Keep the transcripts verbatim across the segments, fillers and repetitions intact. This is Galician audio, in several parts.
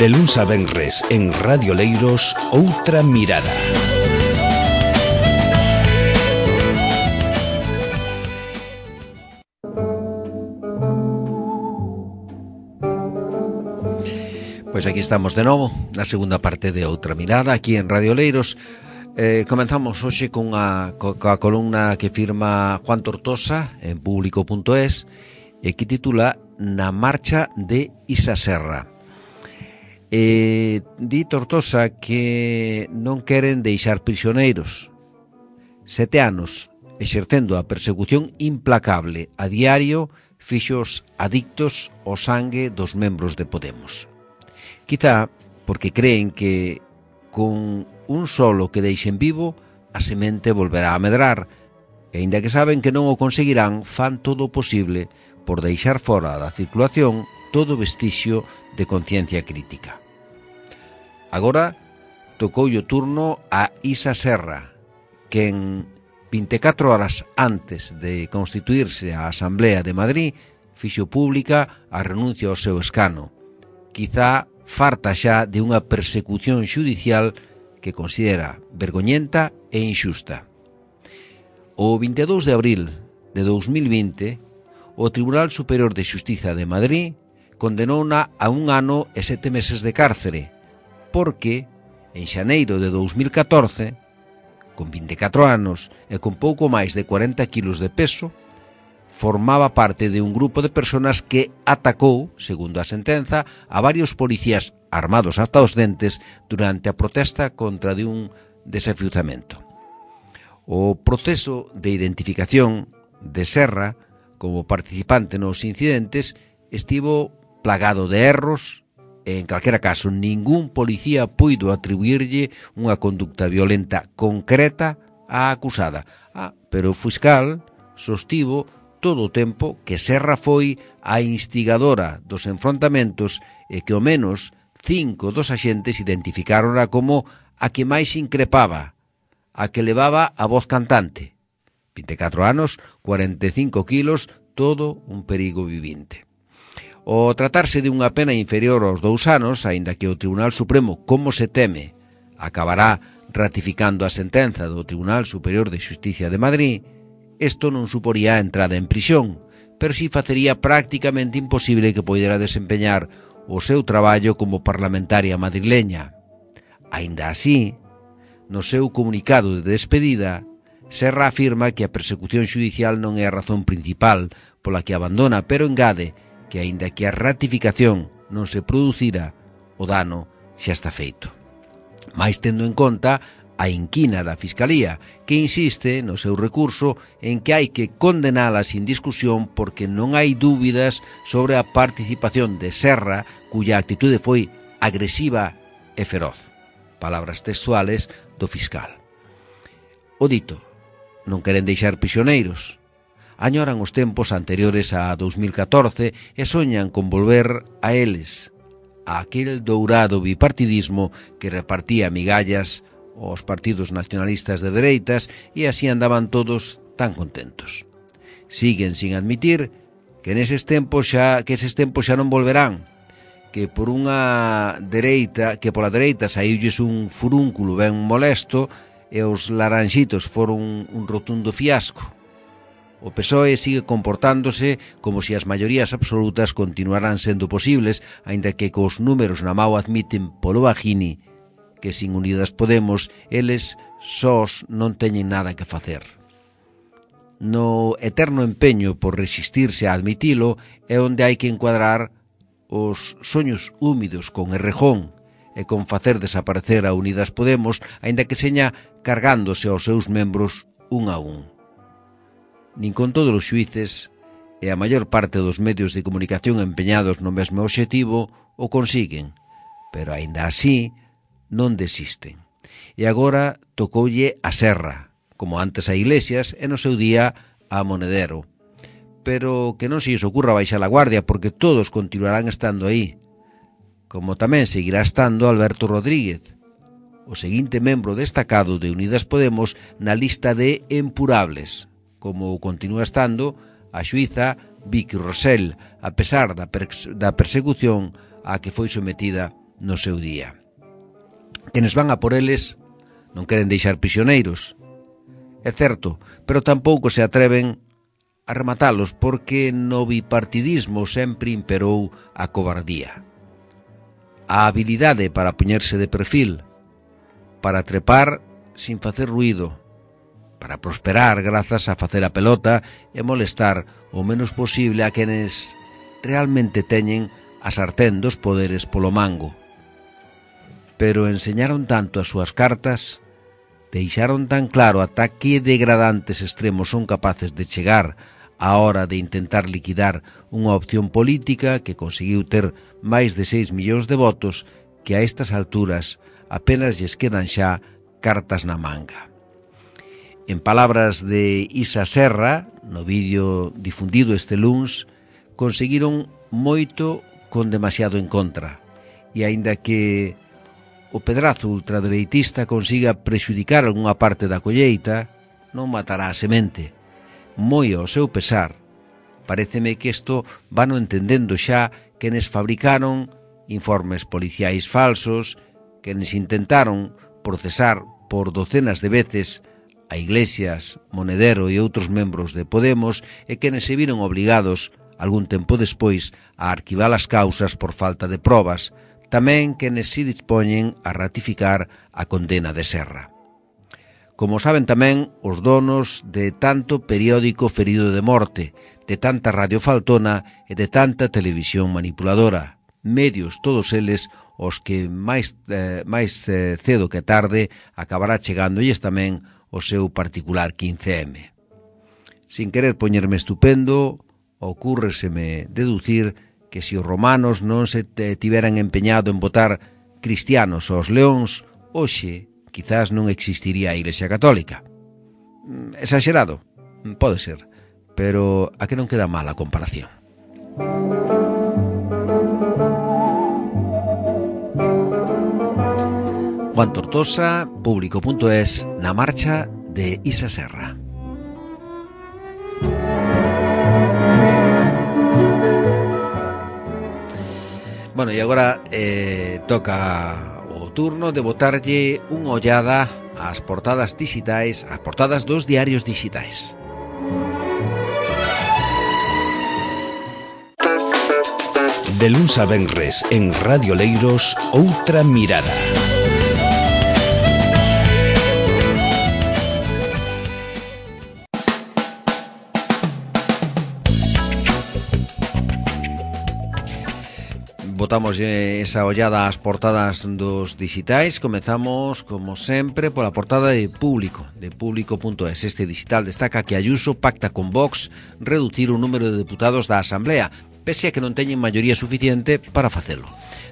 De luns a venres en Radio Leiros, Outra Mirada. Pois aquí estamos de novo, na segunda parte de Outra Mirada, aquí en Radio Leiros. Eh, comenzamos hoxe con a, coa columna que firma Juan Tortosa en público punto es e que titula Na marcha de Isa Serra. Eh, di Tortosa que non queren deixar prisioneiros. Sete anos exercendo a persecución implacable a diario fixos adictos ao sangue dos membros de Podemos. Quizá porque creen que con un solo que deixen vivo a semente volverá a medrar, e aínda que saben que non o conseguirán, fan todo o posible por deixar fora da circulación todo vestigio de conciencia crítica. Agora tocou o turno a Isa Serra, que en vinte e catro horas antes de constituirse a Asamblea de Madrid fixo pública a renuncia ao seu escano, quizá farta xa de unha persecución xudicial que considera vergoñenta e inxusta. O vinte e dous de abril de dous mil vinte, o Tribunal Superior de Xustiza de Madrid condenou-na a un ano e sete meses de cárcere, porque en xaneiro de dous mil catorce, con vinte e catro anos e con pouco máis de cuarenta quilos de peso, formaba parte de un grupo de personas que atacou, segundo a sentenza, a varios policías armados hasta os dentes durante a protesta contra de un desafiuzamento. O proceso de identificación de Serra como participante nos incidentes estivo plagado de erros e, en calquera caso, ningún policía puido atribuirlle unha conducta violenta concreta á acusada. Ah, pero o fiscal sostivo todo o tempo que Serra foi a instigadora dos enfrontamentos e que ao menos cinco dos axentes identificáronla como a que máis increpaba, a que levaba a voz cantante. vinte e catro anos, cuarenta e cinco quilos, todo un perigo vivinte. O tratarse de unha pena inferior aos dous anos, aínda que o Tribunal Supremo, como se teme, acabará ratificando a sentenza do Tribunal Superior de Xustiza de Madrid, isto non suporía a entrada en prisión, pero si facería prácticamente imposible que poidera desempeñar o seu traballo como parlamentaria madrileña. Aínda así, no seu comunicado de despedida, Serra afirma que a persecución xudicial non é a razón principal pola que abandona, pero engade que aínda que a ratificación non se producira, o dano xa está feito. Mais tendo en conta a inquina da Fiscalía, que insiste no seu recurso en que hai que condenala sin discusión porque non hai dúbidas sobre a participación de Serra, cuya actitude foi agresiva e feroz. Palabras textuales do fiscal. O dito, non queren deixar prisioneiros. Añoran os tempos anteriores a dous mil catorce e soñan con volver a eles, a aquel dourado bipartidismo que repartía migallas os partidos nacionalistas de dereitas e así andaban todos tan contentos. Siguen sin admitir que neses tempos xa que eses tempos xa non volverán, que por unha dereita, que pola dereita saíulles un furúnculo ben molesto e os laranxitos foron un rotundo fiasco. O P S O E sigue comportándose como se as maiorías absolutas continuarán sendo posibles, aínda que cos números na mao admiten polo bajini que sin Unidas Podemos eles sós non teñen nada que facer. No eterno empeño por resistirse a admitilo é onde hai que encuadrar os soños húmidos con Errejón e con facer desaparecer a Unidas Podemos, aínda que seña cargándose aos seus membros un a un. Nin con todos os xuíces e a maior parte dos medios de comunicación empeñados no mesmo obxectivo o consiguen, pero aínda así non desisten. E agora tocoulle a Serra, como antes a Iglesias e no seu día a Monedero. Pero que non se lles ocurra baixar a guardia, porque todos continuarán estando aí. Como tamén seguirá estando Alberto Rodríguez, o seguinte membro destacado de Unidas Podemos na lista de empurables, como continúa estando a xuíza Vicky Rosell, a pesar da, per- da persecución a que foi sometida no seu día. Quenes van a por eles non queren deixar prisioneiros, é certo, pero tampouco se atreven a rematalos porque no bipartidismo sempre imperou a cobardía. A habilidade para poñerse de perfil, para trepar sin facer ruído, para prosperar grazas a facer a pelota e molestar o menos posible a quenes realmente teñen a sartén dos poderes polo mango. Pero enseñaron tanto as súas cartas, deixaron tan claro ata que degradantes extremos son capaces de chegar á hora de intentar liquidar unha opción política que conseguiu ter máis de seis millóns de votos que a estas alturas apenas lles quedan xa cartas na manga. En palabras de Isa Serra, no vídeo difundido este luns, conseguiron moito con demasiado en contra, e aínda que o pedrazo ultradereitista consiga prexudicar algunha parte da colleita, non matará a semente. Moi ao seu pesar, paréceme que isto vano entendendo xa quenes fabricaron informes policiais falsos, quenes intentaron procesar por docenas de veces a Iglesias, Monedero e outros membros de Podemos e quenes se viron obligados, algún tempo despois, a arquivar as causas por falta de probas, tamén quenes se dispoñen a ratificar a condena de Serra. Como saben tamén os donos de tanto periódico ferido de morte, de tanta radio faltona e de tanta televisión manipuladora, medios todos eles os que máis, eh, máis eh, cedo que tarde acabará chegándolles tamén o seu particular quince eme. Sin querer poñerme estupendo, ocúrreseme deducir que se os romanos non se tiveran empeñado en botar cristianos aos leóns, hoxe quizás non existiría a Iglesia Católica. Exagerado? Pode ser, pero a que non queda mal a comparación. Juan Tortosa, Público punto es, na marcha de Isa Serra. Bueno, e agora eh, toca o turno de botarlle unha ollada ás portadas digitais, ás portadas dos diarios digitais. De luns a venres en Radio Leiros, Outra Mirada. Botamos esa ollada ás portadas dos digitais. Comezamos, como sempre, pola portada de Público, de Público punto es. Este digital destaca que Ayuso pacta con Vox reducir o número de deputados da Asamblea, pese a que non teñen maioría suficiente para facelo.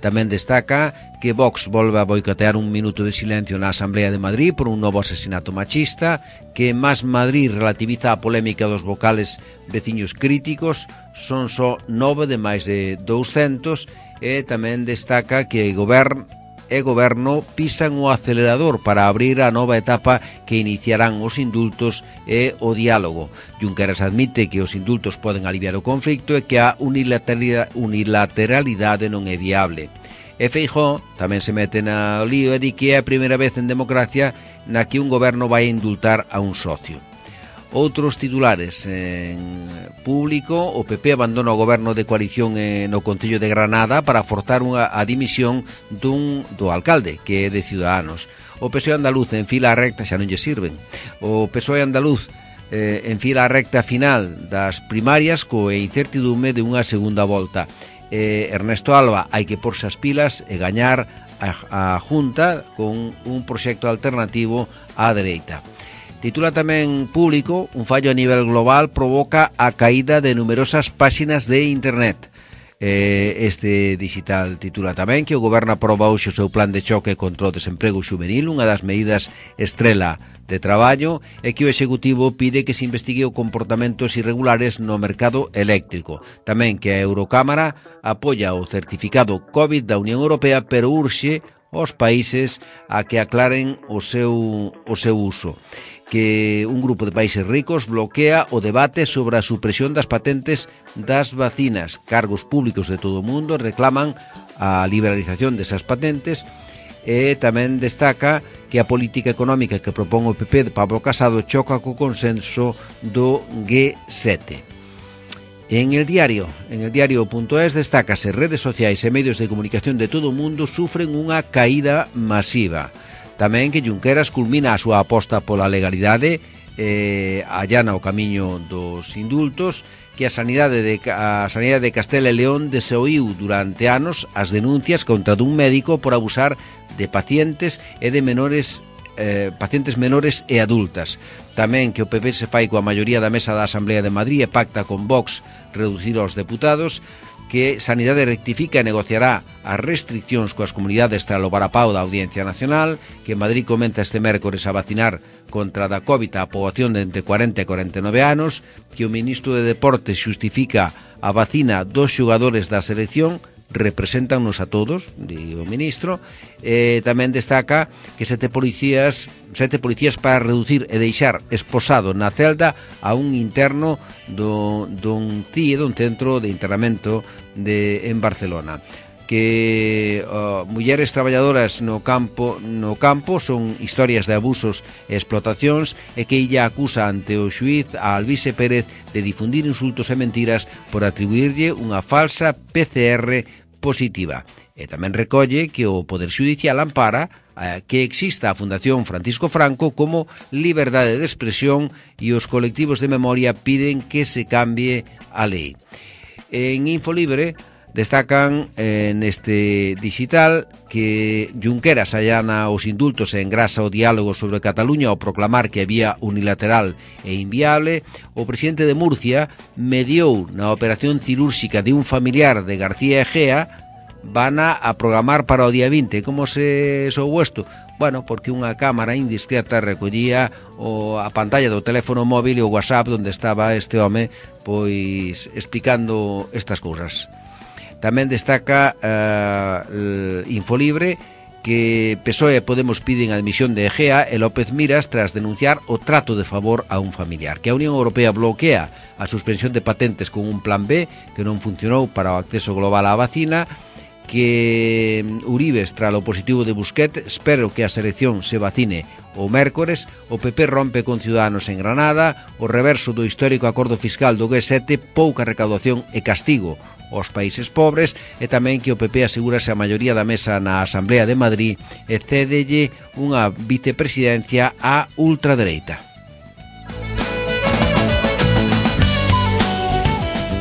Tamén destaca que Vox volve a boicotear un minuto de silencio na Asamblea de Madrid por un novo asesinato machista, que Más Madrid relativiza a polémica dos vocales veciños críticos, son só nove de máis de douscentos, e tamén destaca que o Govern e Goberno pisan o acelerador para abrir a nova etapa que iniciarán os indultos e o diálogo. Junqueras admite que os indultos poden aliviar o conflicto e que a unilateralidade, unilateralidade non é viable. E Feijóo tamén se mete na lío e di que é a primeira vez en democracia na que un goberno vai indultar a un socio. Outros titulares en Público: o P P abandona o goberno de coalición no Concello de Granada para forzar unha, a dimisión dun, do alcalde, que é de Ciudadanos. O P S O E andaluz en fila recta, xa non lle sirven. O P S O E andaluz eh, en fila recta final das primarias coa incertidume de unha segunda volta. Eh, Ernesto Alba hai que porse as pilas e gañar a, a Junta con un proxecto alternativo á dereita. Titula tamén Público: un fallo a nivel global provoca a caída de numerosas páxinas de internet. Eh, este digital titula tamén que o Goberno aproba hoxe o seu plan de choque contra o desemprego xuvenil, unha das medidas estrela de traballo, e que o Executivo pide que se investigue o comportamentos irregulares no mercado eléctrico. Tamén que a Eurocámara apoia o certificado COVID da Unión Europea, pero urxe aos países a que aclaren o seu, o seu uso, que un grupo de países ricos bloquea o debate sobre a supresión das patentes das vacinas. Cargos públicos de todo o mundo reclaman a liberalización desas patentes. E tamén destaca que a política económica que propón o P P de Pablo Casado choca co consenso do G sete. En el diario, en el diario.es destácase redes sociais e medios de comunicación de todo o mundo sufren unha caída masiva. Tamén que Junqueras culmina a súa aposta pola legalidade, eh, allana o camiño dos indultos, que a sanidade de, a sanidade de Castela e León desoíu durante anos as denuncias contra dun médico por abusar de pacientes e de menores eh, pacientes menores e adultas. Tamén que o P P se fai coa maioría da mesa da Asamblea de Madrid e pacta con Vox reducir aos deputados, que Sanidade rectifica e negociará as restriccións coas comunidades tras o varapao da Audiencia Nacional, que Madrid comenta este mércores a vacinar contra da COVID a poboación de entre cuarenta e cuarenta e nove anos, que o ministro de Deportes xustifica a vacina dos xogadores da selección, represéntanos a todos, di o ministro. Eh, tamén destaca que sete policías sete policías para reducir e deixar esposado na celda a un interno do, dun C I E, dun centro de internamento de, en Barcelona. Que uh, mulleres traballadoras no campo no campo son historias de abusos e explotacións, e que illa acusa ante o xuíz a Alvise Pérez de difundir insultos e mentiras por atribuirlle unha falsa P C R positiva. E tamén recolle que o Poder Xudicial ampara eh, que exista a Fundación Francisco Franco como liberdade de expresión, e os colectivos de memoria piden que se cambie a lei. En Infolibre destacan eh, neste digital que Junqueras allana os indultos e engrasa o diálogo sobre Cataluña ao proclamar que había unilateral e inviable. O presidente de Murcia mediou na operación cirúrxica de un familiar de García Egea, van a programar para o día vinte. Como se sou isto? Bueno, porque unha cámara indiscreta recollía o, a pantalla do teléfono móvil e o WhatsApp onde estaba este home pois explicando estas cousas. Tamén destaca uh, Infolibre que P S O E e Podemos piden a admisión de Egea e López Miras tras denunciar o trato de favor a un familiar. Que a Unión Europea bloquea a suspensión de patentes con un plan B que non funcionou para o acceso global á vacina. Que Uribes, tras o positivo de Busquet, espero que a selección se vacine o mércores. O P P rompe con Ciudadanos en Granada. O reverso do histórico acordo fiscal do G sete, pouca recaudación e castigo aos países pobres. E tamén que o P P asegúrase a maioría da mesa na Asamblea de Madrid e cédelle unha vicepresidencia á ultradereita.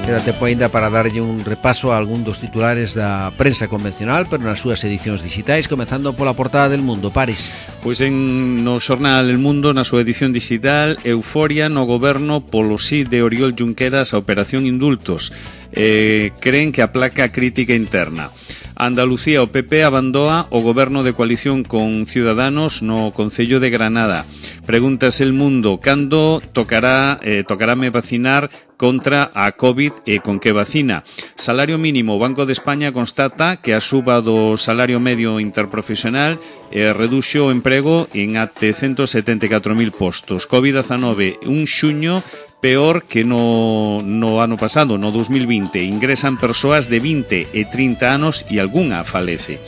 Queda tempo ainda para darlle un repaso a algún dos titulares da prensa convencional, pero nas súas edicións digitais, comezando pola portada del Mundo. Paris. Pois en no xornal El Mundo, na súa edición digital, euforia no goberno polo sí de Oriol Junqueras a Operación Indultos. Eh, creen que aplaca a crítica interna. Andalucía, o P P abandoa o goberno de coalición con Ciudadanos no Concello de Granada. Pregúntase El Mundo, cando tocará eh, tocaráme vacinar contra a COVID e con que vacina? Salario mínimo, o Banco de España constata que a suba do salario medio interprofesional eh, reduxo o emprego en até ciento setenta e catro mil postos. COVID diecinueve, un xuño peor que no, no ano pasado, no dos mil vinte. Ingresan persoas de vinte e trinta anos e algunha falece.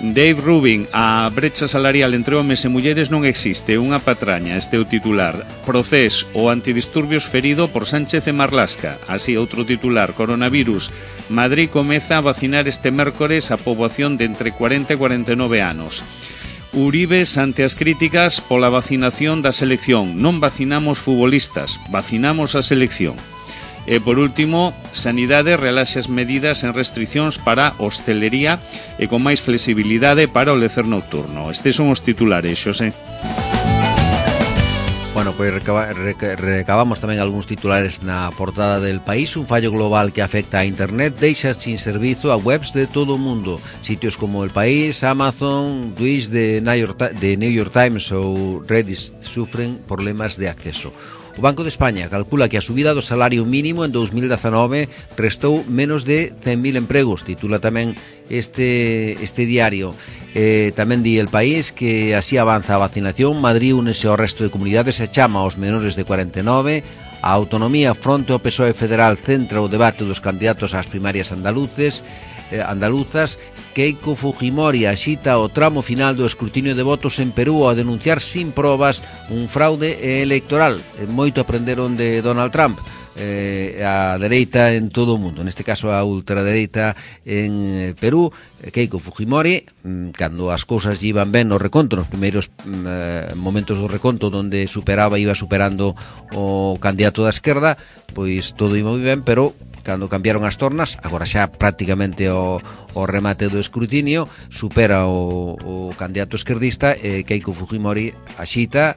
Dave Rubin, a brecha salarial entre homes e mulleres non existe, unha patraña, este é o titular. Procés, o antidisturbios ferido por Sánchez e Marlasca. Así, outro titular, coronavirus. Madrid comeza a vacinar este mércores a poboación de entre cuarenta e cuarenta e nove anos. Uribes ante as críticas pola vacinación da selección. Non vacinamos futbolistas, vacinamos a selección. E, por último, Sanidade relaxa as medidas en restriccións para hostelería e con máis flexibilidade para o lecer nocturno. Estes son os titulares, Xosé. Bueno, pois recaba, rec, recabamos tamén algúns titulares na portada del País. Un fallo global que afecta a Internet deixa sin servizo a webs de todo o mundo. Sitios como El País, Amazon, Twitch de New York, de New York Times ou Reddit sufren problemas de acceso. O Banco de España calcula que a subida do salario mínimo en dous mil dezanove restou menos de cen mil empregos, titula tamén este, este diario. Eh, tamén di El País que así avanza a vacinación, Madrid únese ao resto de comunidades e chama aos menores de cuarenta e nove. A autonomía fronte ao P S O E federal centra o debate dos candidatos ás primarias andaluces, eh, andaluzas. Keiko Fujimori axita o tramo final do escrutinio de votos en Perú ao denunciar sin probas un fraude electoral. Moito aprenderon de Donald Trump. Eh, a dereita en todo o mundo, neste caso a ultradereita en Perú. Keiko Fujimori, cando as cousas iban ben no reconto, nos primeiros eh, momentos do reconto onde superaba, iba superando o candidato da esquerda, pois todo iba moi ben, pero cando cambiaron as tornas, agora xa prácticamente o, o remate do escrutinio, supera o, o candidato esquerdista, e Keiko Fujimori axita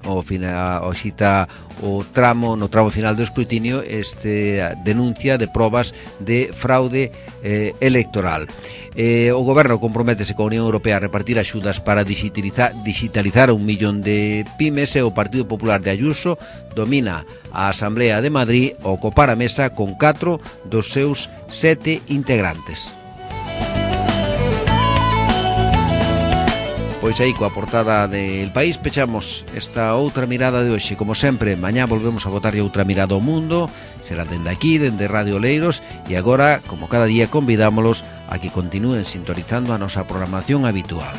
o, fina, axita o tramo, no tramo final do escrutinio, este denuncia de probas de fraude eh, electoral. Eh, o goberno comprométese coa Unión Europea a repartir axudas para digitalizar, digitalizar un millón de pymes, e o Partido Popular de Ayuso domina a Asamblea de Madrid ao copar a mesa con catro dos seus sete integrantes. Pois aí, coa portada del País, pechamos esta outra mirada de hoxe. Como sempre, mañá volvemos a botarlle outra mirada ao mundo, será dende aquí, dende Radio Oleiros, e agora, como cada día, convidámolos a que continúen sintonizando a nosa programación habitual.